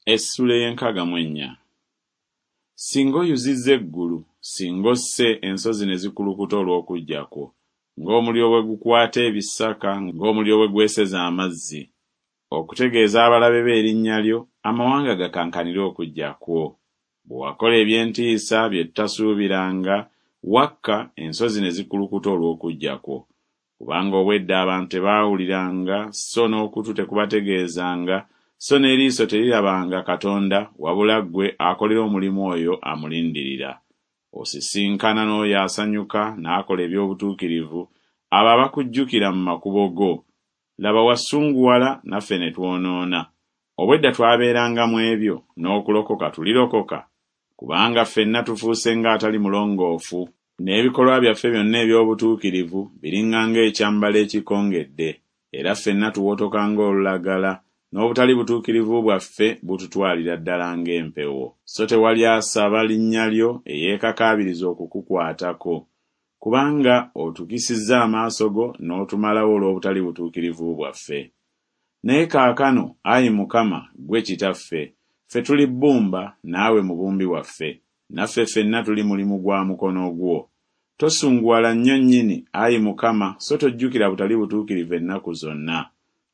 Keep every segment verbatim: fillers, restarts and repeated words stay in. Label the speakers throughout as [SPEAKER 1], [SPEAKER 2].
[SPEAKER 1] Essula ey'enkaaga mu ennya. Singa oyuzizza eggulu, singa osse ensozi ne zikulukuta olw'okujja kwo, ng'omuliro bwe gukwata ebisaka, ng'omuliro bwe gweseza amazzi, okutegeeza abalabe be erinnya lyo, amawanga gakankanire okujja kwo. Bwe wakola eby'entiisa bye tutasuubiranga, wakka, ensozi ne zikulukuta olw'okujja kwo. Kubanga obwedda abantu tebaawuliranga, so n'okutu tekubategeezanga, so n'eriiso terirabanga Katonda, wabula ggwe akolera omulimu oyo amulindirira. Osisinkana n'oyo asanyuka n'akola eby'obutuukirivu, abo abakujjukira mu makubo go. Laba wasunguwala naffe ne twonoona. Obwedda twabeeranga mu ebyo, n'okulokoka tulirokoka? Kubanga ffenna tufuuse ng'atali mulongoofu, n'ebikolwa byaffe byonna eby'obutuukirivu biringa ng'ekyambalo ekikongedde, era ffenna tuwotoka ng'olulagala, n'obutali butuukirivu bwaffe bututwalira ddala ng'empewo. So tewali asaba linnya lyo eyeekakaabiriza okukukwatako, kubanga otukisizza amaaso go n'otumalawo olw'obutali butuukirivu bwaffe. Naye kaakano, ayi Mukama, ggwe Kitaffe, ffe tuli bbumba, naawe mubumbi waffe, naffe ffenna tuli mulimu gwa mukono gwo. Tosunguwala nnyo nnyini, ayi Mukama, so tojjukira butali butuukirivu ennaku zonna.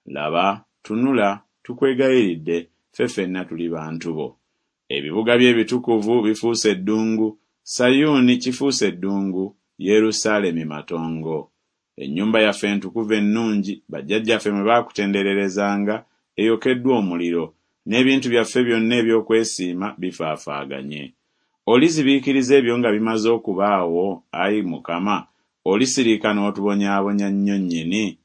[SPEAKER 1] Laba, tunula, tukwegayiridde, ffe ffenna tuli bantu bo. Ebibuga byo ebitukuvu bifuuse eddungu, Sayuuni kifuuse eddungu, Yerusaalemi matongo. Ennyumba yaffe entukuvu ennungi, bajjajjaffe mwe baakutendererezanga, eyokeddwa omuliro, n'ebintu byaffe byonna eby'okwesiima bifaafaaganye. Olizibiikiriza ebyo nga bimaze okubaawo, ayi Mukama? Olisirika n'otubonyaabonya nnyo nnyini?